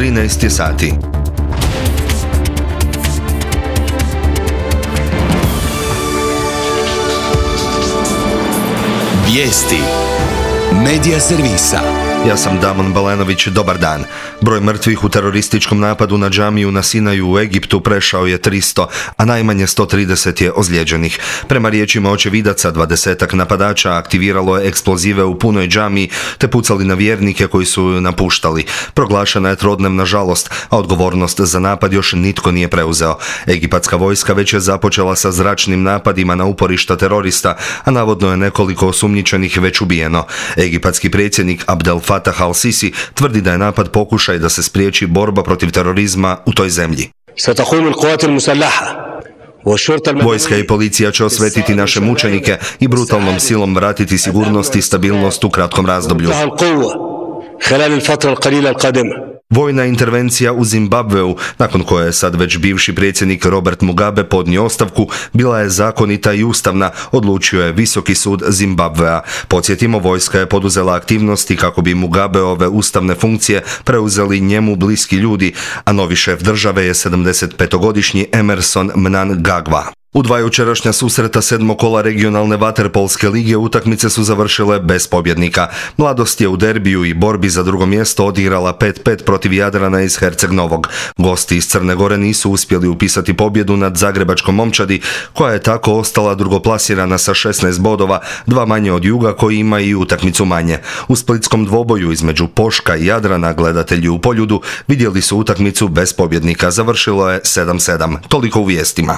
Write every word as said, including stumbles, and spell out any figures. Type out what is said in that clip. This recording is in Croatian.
trinaest je sati. Vijesti Medija servisa. Ja sam Damon Balenović, dobar dan. Broj mrtvih u terorističkom napadu na džamiju na Sinaju u Egiptu prešao je tristo, a najmanje sto trideset je ozlijeđenih. Prema riječima očevidaca, dvadesetak napadača aktiviralo je eksplozive u punoj džamiji te pucali na vjernike koji su ju napuštali. Proglašena je trodnevna žalost, a odgovornost za napad još nitko nije preuzeo. Egipatska vojska već je započela sa zračnim napadima na uporišta terorista, a navodno je nekoliko osumnjičenih već ubijeno. Egipatski predsjednik Abdel Fatah al-Sisi tvrdi da je napad pokušaj da se spriječi borba protiv terorizma u toj zemlji. Vojska i policija će osvetiti naše mučenike i brutalnom silom vratiti sigurnost i stabilnost u kratkom razdoblju. Vojna intervencija u Zimbabveu, nakon koje je sad već bivši predsjednik Robert Mugabe podnio ostavku, bila je zakonita i ustavna, odlučio je Visoki sud Zimbabvea. Podsjetimo, vojska je poduzela aktivnosti kako bi Mugabeove ustavne funkcije preuzeli njemu bliski ljudi, a novi šef države je sedamdesetpetogodišnji Emmerson Mnangagwa. U dva jučerašnja susreta sedmog kola regionalne vaterpolske lige utakmice su završile bez pobjednika. Mladost je u derbiju i borbi za drugo mjesto odigrala pet pet protiv Jadrana iz Herceg Novog. Gosti iz Crne Gore nisu uspjeli upisati pobjedu nad zagrebačkom Momčadi, koja je tako ostala drugoplasirana sa šesnaest bodova, dva manje od Juga koji ima i utakmicu manje. U splitskom dvoboju između Poška i Jadrana gledatelji u Poljudu vidjeli su utakmicu bez pobjednika. Završilo je sedam sedam. Toliko u vijestima.